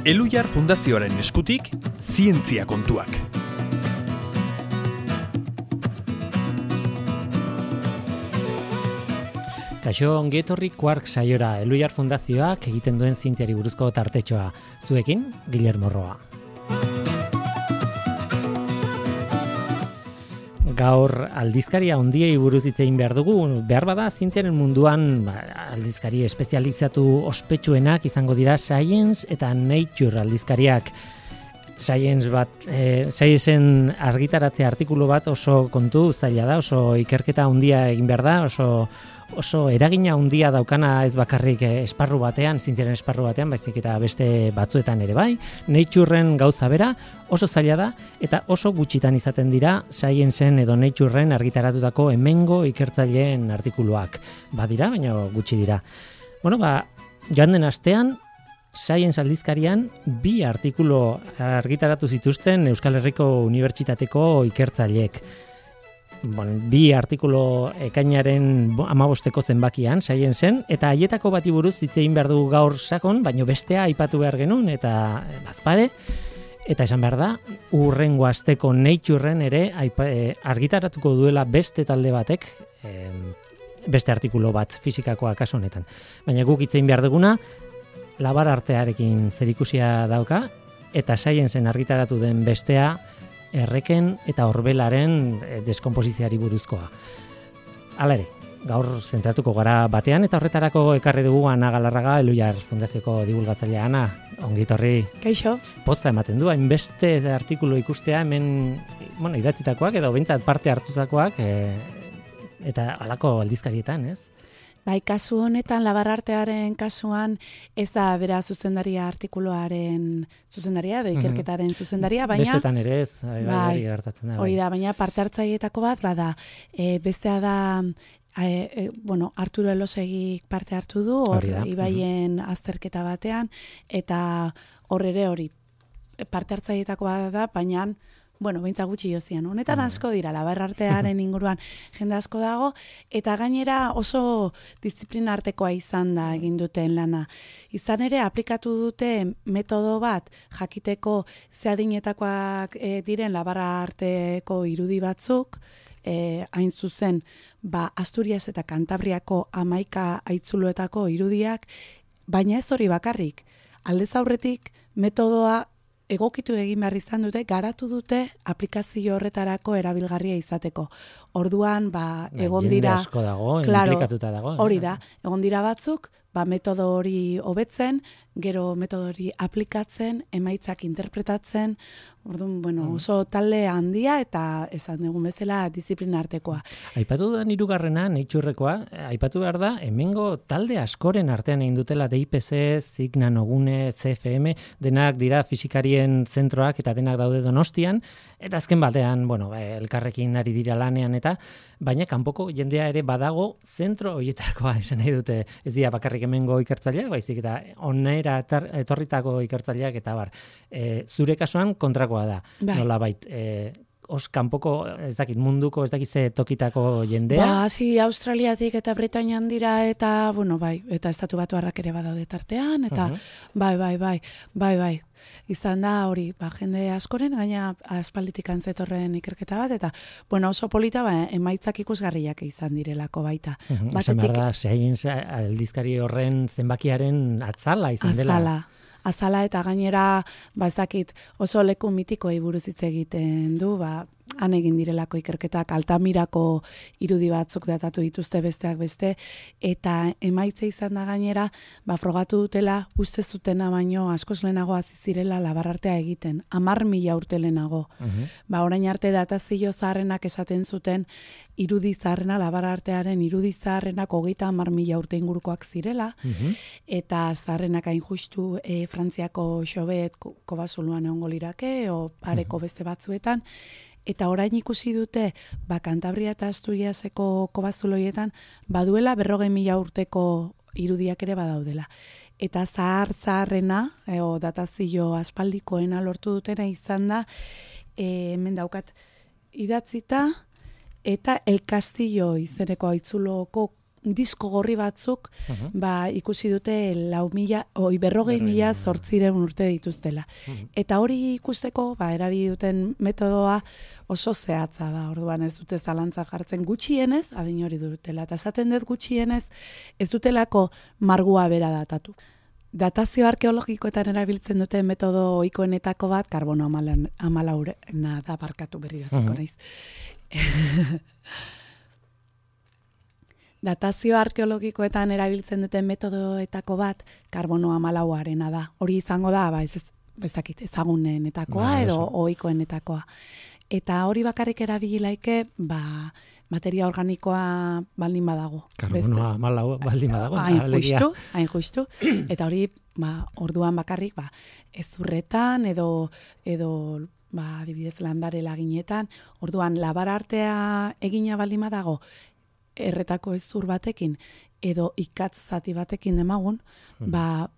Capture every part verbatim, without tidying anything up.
Elhuyar Fundazioaren eskutik, zientzia kontuak. Kaixo, ongi etorri Quark saiora, Elhuyar Fundazioak egiten duen zientziari buruzko tartetxoa. Zuekin, Guillermo Roa. Gaur aldizkaria handiei buruz hitz egin behar dugu, behar bada zientziaren munduan ba, aldizkari espezializatu ospetsuenak izango dira Science eta Nature aldizkariak. Science bat, e, Sciencen argitaratze artikulu bat oso kontu zaila da, oso ikerketa handia egin behar da, oso oso eragina handia daukana ez bakarrik esparru batean, zientziaren esparru batean, baizik eta beste batzuetan ere bai. Natureen gauza bera oso zaila da eta oso gutxitan izaten dira Sciencen edo Natureen argitaratutako hemengo ikertzaileen artikuluak. Badira, baina gutxi dira. Bueno, ba, joan den astean Science aldizkarian bi artikulu argitaratu zituzten Euskal Herriko Unibertsitateko ikertzaileek. Bon, bi artikulu ekainaren amabosteko zenbakian, Sciencen, eta haietako bati buruz hitz egin behar dugu gaur sakon, baino bestea aipatu behar genuen, eta bazpare, eta esan behar da, urrengo asteko Natureen ere aipa, e, argitaratuko duela beste talde batek, e, beste artikulu bat fizikakoa kasu honetan. Baina guk hitz egin behar duguna, labar artearekin zerikusia dauka, eta Sciencen argitaratu den bestea, erreken eta orbelaren deskonposizioari buruzkoa. Hala ere, gaur zentratuko gara batean eta horretarako ekarri dugu Ana Galarraga, Elhuyar Fundazioko divulgatzailea. Ana, ongi etorri. Kaixo. Poza ematen du, hainbeste artikulu ikustea hemen, bueno, idatzitakoak edo behintzat parte hartutakoak e, eta halako aldizkarietan, ez? Bai, kasu honetan, labarartearen kasuan, ez da bera zuzendaria artikuluaren zuzendaria, edo ikerketaren zuzendaria, baina... Bestetan ere ez, bai, hori gertatzen da. Hori da, baina parte hartzaileetako bat, bada, e, bestea da, e, e, bueno, Arturo Elosegik parte hartu du, hor ibaien azterketa batean, eta hor ere hori, parte hartzaileetako bat da, baina... Bueno, beintza gutxi jozian. Honetan asko dira, labarartearen inguruan jende asko dago, eta gainera oso disiplina artekoa izan da egin duten lana. Izan ere, aplikatu dute metodo bat jakiteko zeadinetakoak e, diren labararteko irudi batzuk, e, hain zuzen, ba, Asturias eta Kantabriako hamaika haitzuloetako irudiak, baina ez hori bakarrik. Aldez aurretik metodoa egokitu egin behar izan dute, garatu dute aplikazio horretarako erabilgarria izateko. Orduan, ba, egon dira... Jende asko dago, claro, implikatuta dago. Hori da, egon dira batzuk, ba, metodo hori hobetzen, gero metodo hori aplikatzen, emaitzak interpretatzen, orduan, bueno, oso talde handia eta esan dugun bezala disiplina artekoa. Aipatu da hirugarrena, Naturekoa, aipatu behar da, hemengo talde askoren artean egin dutela D I P C, Z I C, Nanogune, C F M, denak dira fizikarien zentroak eta denak daude Donostian, eta azken batean, bueno, elkarrekin ari dira lanean eta, baina kanpoko jendea ere badago zentro horietakoa esan nahi dute, ez dira bakarrik hemengo ikertzaileak, baizik eta onera etorritako ikertzaileak eta bar. E, zure kasuan kontrakoa da, bai. Nola bait, e, os kanpoko, ez dakit, munduko, ez dakit ze tokitako jendea? Ba, zi, Australiatik eta Britainian dira eta, bueno, bai, eta estatu batuarrak ere badaude tartean, eta uh-huh. bai, bai, bai, bai, bai. Izan da hori, ba, jende askoren, gaina aspalditik antzetorren ikerketa bat, eta, bueno, oso polita, ba, emaitzak ikusgarriak izan direlako baita. Uh-huh. Batetik, esan behar da, Science aldizkari horren zenbakiaren atzala izan dela. Azala. Azala eta gainera, ba ez dakit, oso leku mitikoei buruz hitz egiten du, ba, han egin direlako ikerketak, Altamirako irudi batzuk datatu dituzte besteak beste, eta emaitza izan da gainera, ba, frogatu dutela, uste zutena baino askoz lehenago hasi zirela labarartea egiten, hamar mila urte lehenago. Uh-huh. Ba, orain arte datazio zaharrenak esaten zuten, irudi zaharrena, labarartearen irudi zaharrenak hogeita hamar mila urte ingurukoak zirela, uh-huh. eta zaharrenak hain justu e, Frantziako xobet kobazuluan egongo lirake, o pareko beste batzuetan, eta orain ikusi dute, ba, Kantabria eta Asturiaseko kobazuloietan, baduela berrogei mila urteko irudiak ere badaudela. Eta zahar zaharrena, e, o datazio aspaldikoena lortu dutena izan da, e, hemen daukat idatzita, eta El Castillo izeneko haitzuloko disko gorri batzuk, Uh-huh. ba, ikusi dute lau mila, oi, berrogei mila zortziren urte dituztela. Uh-huh. Eta hori ikusteko, ba, erabili duten metodoa oso zehatza da, orduan ez dute zalantza jartzen gutxienez, adin hori dutela. Eta esaten dut gutxienez, ez dutelako margua bera datatu. Datazio arkeologikoetan erabiltzen duten metodo ohikoenetako bat, karbono amalaurena da, barkatu berriraziko naiz. Datazio arkeologikoetan erabiltzen duten metodoetako bat, karbono amalauarena da. Hori izango da, ba, ez, ez, bezakit, ezagunenetakoa Ba, edo oso. ohikoenetakoa. Eta hori bakarrik erabili laike, ba, materia organikoa baldin badago. Karbonoa malau baldin badago. Hain alegia. justu, hain justu. Eta hori, ba, orduan bakarrik, ba, ezurretan edo, edo ba, adibidez landare laginetan, orduan labar artea egina baldin badago, erretako ezur batekin, edo ikatz zati batekin demagun, ba,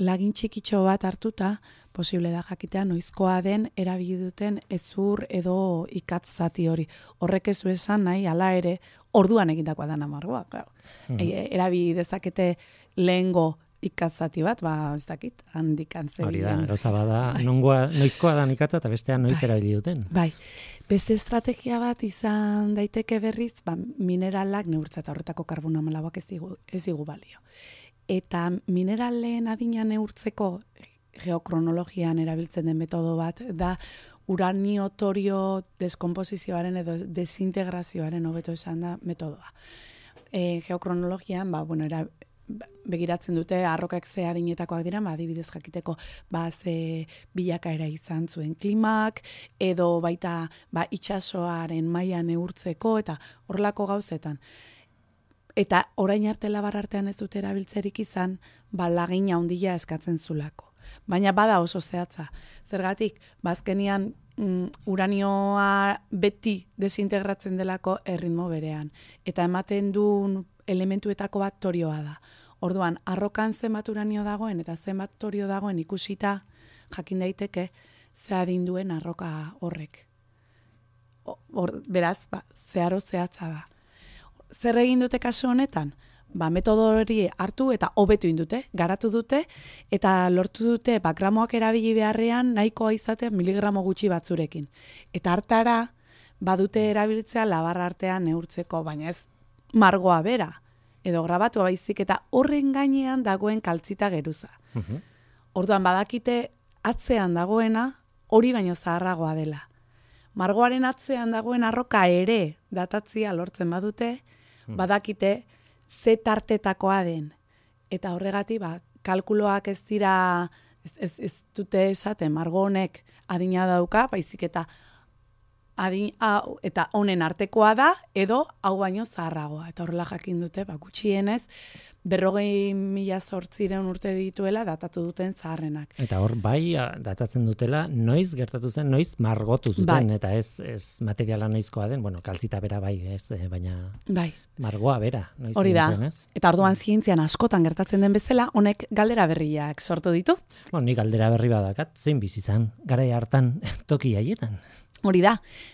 lagin txikitxo bat hartuta, posible da jakitea noizkoa den erabili duten ezur edo ikatz zati hori. Horrek ez du esan nahi, hala ere, orduan egindakoa da namargoa, claro. E, erabili dezakete lehengo ikatzati bat, ba, ez dakit, handik antzeri. Hori da, gauza bada, nongoa, noizkoa da ikatza eta bestean noiz erabili duten. Bai, beste estrategia bat izan daiteke berriz, ba, mineralak neurtza eta horretako karbono amalauak ez digu, ez digu balio. Eta mineralen adina neurtzeko geokronologian erabiltzen den metodo bat da uranio torio deskomposizioaren edo desintegrazioaren hobeto esan da metodoa. E, geokronologian, ba, bueno, era, begiratzen dute arrokak ze adinetakoak dira, ba, adibidez jakiteko ba, ze bilakaera izan zuen klimak, edo baita ba, itsasoaren maila neurtzeko, eta horrelako gauzetan. Eta orain arte labar artean ez dute erabiltzerik izan, ba, lagina handia eskatzen zulako. Baina bada oso zehatza. Zergatik, bazkenian mm, uranioa beti desintegratzen delako erritmo berean. Eta ematen duen elementuetako bat torioa da. Orduan, arrokan zenbat uranio dagoen eta zenbat torio dagoen ikusita jakin daiteke ze adin duen arroka horrek. Or, beraz, ba, zeharo zehatza da. Zer egin dute kasu honetan? Ba, metodo hori hartu eta hobetu indute, garatu dute, eta lortu dute ba, gramoak erabili beharrean nahikoa izaten miligramo gutxi batzurekin. Eta hartara badute erabiltzea labar artean neurtzeko, baina ez margoa bera, edo grabatua baizik, eta horren gainean dagoen kaltzita geruza. Uh-huh. Orduan badakite atzean dagoena hori baino zaharragoa dela. Margoaren atzean dagoen arroka ere datatzia lortzen badute, badakite ze tartetakoa den. Eta horregatik, ba, kalkuloak ez dira, ez, ez, ez dute esaten, margo honek adina dauka, baizik eta adin, hau, eta honen artekoa da, edo hau baino zaharragoa. Eta horrela jakin dute, ba, gutxienez, berrogei mila zortziren urte dituela datatu duten zaharrenak. Eta hor bai datatzen dutela noiz gertatu zen, noiz margotu zuten, bai. Eta ez, ez materiala noizkoa den, bueno, kaltzita bera bai, ez, baina bai. Margoa bera. Noiz hori da, zen, ez? Eta orduan zientzian askotan gertatzen den bezala, honek galdera berriak sortu ditu. Bueno, ni galdera berri badakat, zein bizi izan, garai hartan toki haietan. Hori da,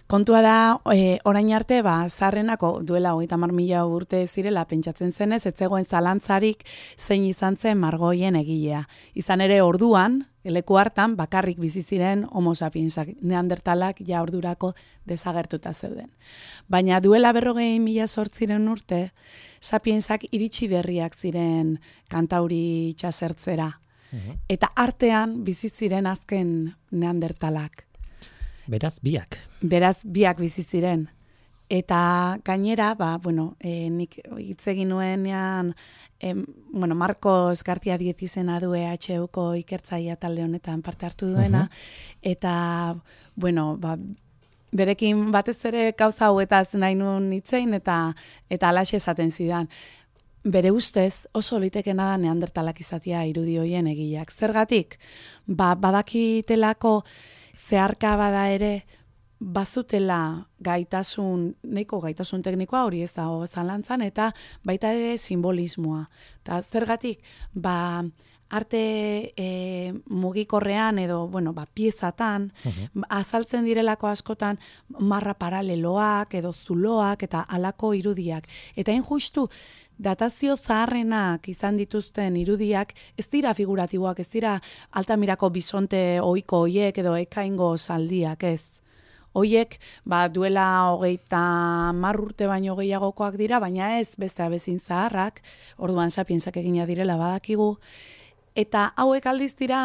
kontua da, e, orain arte, ba, zarrenako duela hogeita hamar mila urte zirela pentsatzen zenez, ez zegoen zalantzarik zein izan zen margoien egilea. Izan ere orduan, leku hartan, bakarrik bizi ziren homo sapiensak, neandertalak ja ordurako desagertuta zeuden. Baina duela berrogei mila zortziren urte, sapiensak iritsi berriak ziren Kantauri itsasertzera. Uh-huh. Eta artean bizi ziren azken neandertalak. Beraz, biak. Beraz, biak bizi ziren. Eta gainera, ba, bueno, e, nik hitz egin nuenean, e, bueno, Marcos García Diez izena du E H Uko ikertzailea talde honetan parte hartu duena, uh-huh. Eta, bueno, ba, berekin batez ere gauza hauetaz nahi nuen hitzein, eta eta halaxe esaten zidan. Bere ustez oso litekena da neandertalak izatea irudi hoien egileak. Zergatik? Ba, badakitelako zeharka bada ere, bazutela gaitasun, nahiko gaitasun teknikoa hori ez dago zalantzan, eta baita ere simbolismoa. Eta zergatik, ba, arte e, mugikorrean edo, bueno, ba, piezatan, uh-huh. azaltzen direlako askotan marra paraleloak edo zuloak eta halako irudiak. Eta hain justu, datazio zaharrenak izan dituzten irudiak ez dira figuratiboak, ez dira Altamirako bisonte ohiko hoiek edo ekaingo zaldiak, ez. Hoiek, ba, duela hogeita hamar urte baino gehiagokoak dira, baina ez beste abezin zaharrak, orduan sapiensak egina direla badakigu, eta hauek aldiz dira,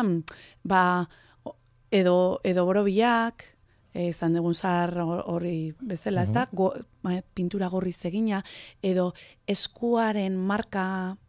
ba, edo, edo borobilak, izan dugun zahar hori bezala, ez da, go, ba, pintura gorriz egina, edo eskuaren marka,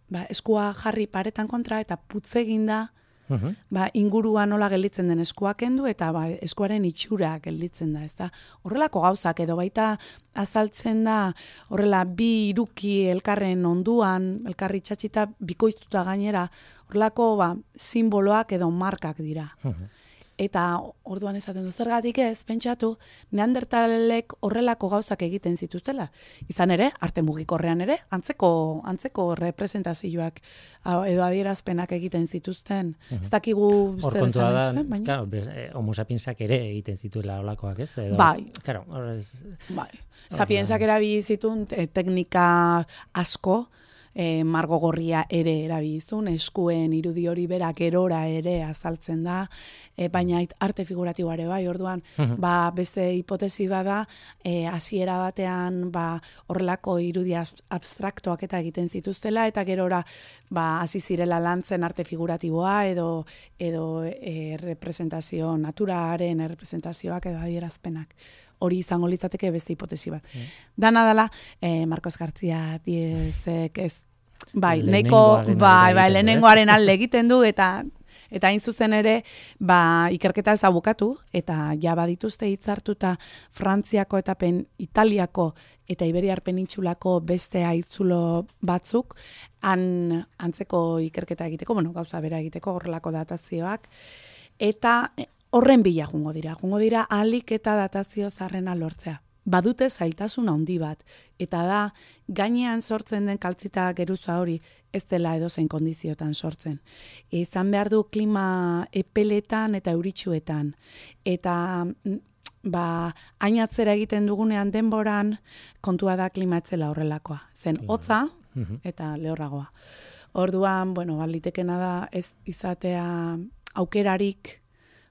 ba, eskua jarri paretan kontra, eta putz eginda, Uhum. Ba, inguruan nola gelditzen den eskuak kendu eta ba, eskuaren itxura gelditzen da, ezta? Horrelako gauzak edo baita azaltzen da horrela bi iruki elkarren onduan, elkarri txatxita bikoiztuta gainera, horrelako ba, simboloak edo markak dira. Uhum. Eta orduan esaten du zergatik ez, pentsatu, neandertalek horrelako gauzak egiten zituztela. Izan ere, arte mugikorrean ere, antzeko, antzeko representazioak edo adierazpenak egiten zituzten. Uh-huh. Ez dakigu zer esan ez, baina? Claro, homo sapiensak ere egiten zituela holakoak ez? Edo, bai. Claro, horrez... Bai. Sapiensak erabili zituen teknika asko, E, margo gorria ere erabilizun, eskuen irudi hori bera gerora ere azaltzen da, e, baina arte figuratiboare bai, orduan, uh-huh. ba, beste hipotesi bada, e, hasiera batean ba, horrelako irudi abstraktoak eta egiten zituztela, eta gerora ba, hasi zirela lantzen arte figuratiboa edo, edo e, representazio naturaren representazioak edo adierazpenak. Hori izango litzateke beste hipotesi bat. Mm. Dana dela, eh, Marcos García Diezek ez, bai, neko, bai, bai, lehenengoaren alde egiten du, eta eta hain zuzen ere, ba, ikerketa ez abukatu, eta ja badituzte hitzartuta Frantziako eta pen, Italiako eta Iberiar penintsulako beste haitzulo batzuk, han, antzeko ikerketa egiteko, bueno, gauza bera egiteko, horrelako datazioak, eta horren bila jungo dira. Jungo dira ahalik eta datazio zarrena lortzea. Badute zailtasun handi bat. Eta da, gainean sortzen den kaltzita geruza hori ez dela edozein kondiziotan sortzen. Izan behar du klima epeletan eta euritsuetan. Eta ba, hainatzera egiten dugunean denboran kontua da klima etzela horrelakoa. Zen hotza eta lehorragoa. Orduan, bueno, balitekena da ez izatea aukerarik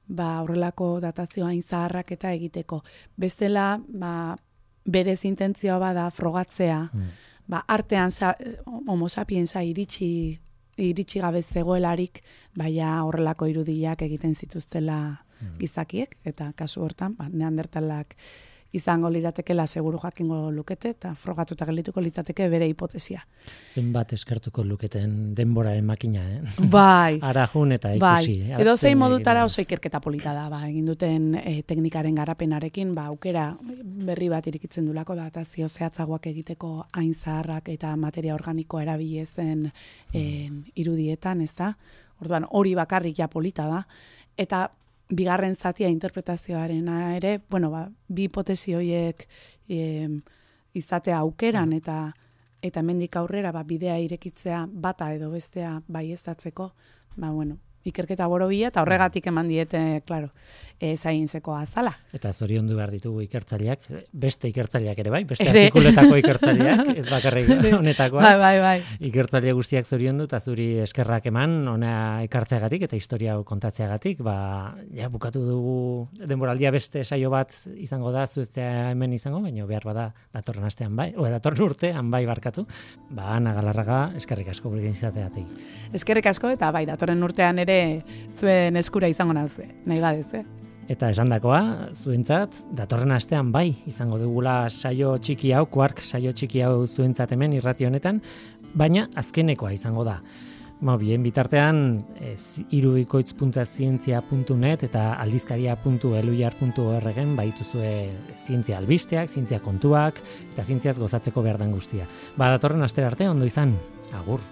ba, horrelako datazioa hain zaharrak eta egiteko. Bestela, ba, berez intentzioa bada frogatzea, mm. ba, artean sa, homo sapiensa iritsi, iritsi gabe zegoelarik, baina horrelako irudiak egiten zituztela mm. gizakiek, eta kasu hortan, ba, neandertalak izango liratekela seguru jakingo lukete, eta frogatuta geldituko litzateke bere hipotesia. Zenbat eskertuko luketen denboraren makina, eh? Bai. Arajun eta ikusi. Bai. Edo zein modutara oso ikerketa polita da, ba, egin duten eh, teknikaren garapenarekin, ba, aukera berri bat irikitzen dulako datazio zehatzagoak egiteko hain zaharrak eta materia organikoa erabili zen eh, irudietan, ez da? Orduan hori bakarrik ja polita da, eta bigarren zatia interpretazioarena ere, bueno, ba, bi hipotesi horiek e, izatea aukeran eta eta hemendik aurrera ba, bidea irekitzea bata edo bestea baieztatzeko, ba, bueno, ikerketa borobila eta horregatik eman diete, claro, e, zaintzeko azala. Eta zoriondu behar ditugu ikertzaileak, beste ikertzaileak ere bai, beste ere. Artikuletako ikertzaileak, ez bakarrik honetakoa. Bai, bai, bai. Ikertzaile guztiak zoriondu eta zuri eskerrak eman, ona ekartzeagatik eta historia hau kontatzeagatik, ba, ja, bukatu dugu denboraldia beste saio bat izango da, zueztea hemen izango, baina behar bada datorren astean bai, o datorren urtean bai barkatu, ba, Ana Galarraga, eskerrik asko gurekin izateagatik. Eskerrik asko eta bai, datorren urtean ere zuen eskura izango naze, nahi badez, eh? Eta esandakoa, zuentzat, datorren astean bai, izango dugula saio txiki hau, Quark saio txiki hau zuentzat hemen irrati honetan, baina azkenekoa izango da. Ba, bien bitartean, irubikoitz puntu zientzia puntu net eta aldizkaria puntu eluiar puntu org-en baituzue zientzia albisteak, zientzia kontuak eta zientziaz gozatzeko behar den guztia. Ba, datorren astera arte, ondo izan, agur.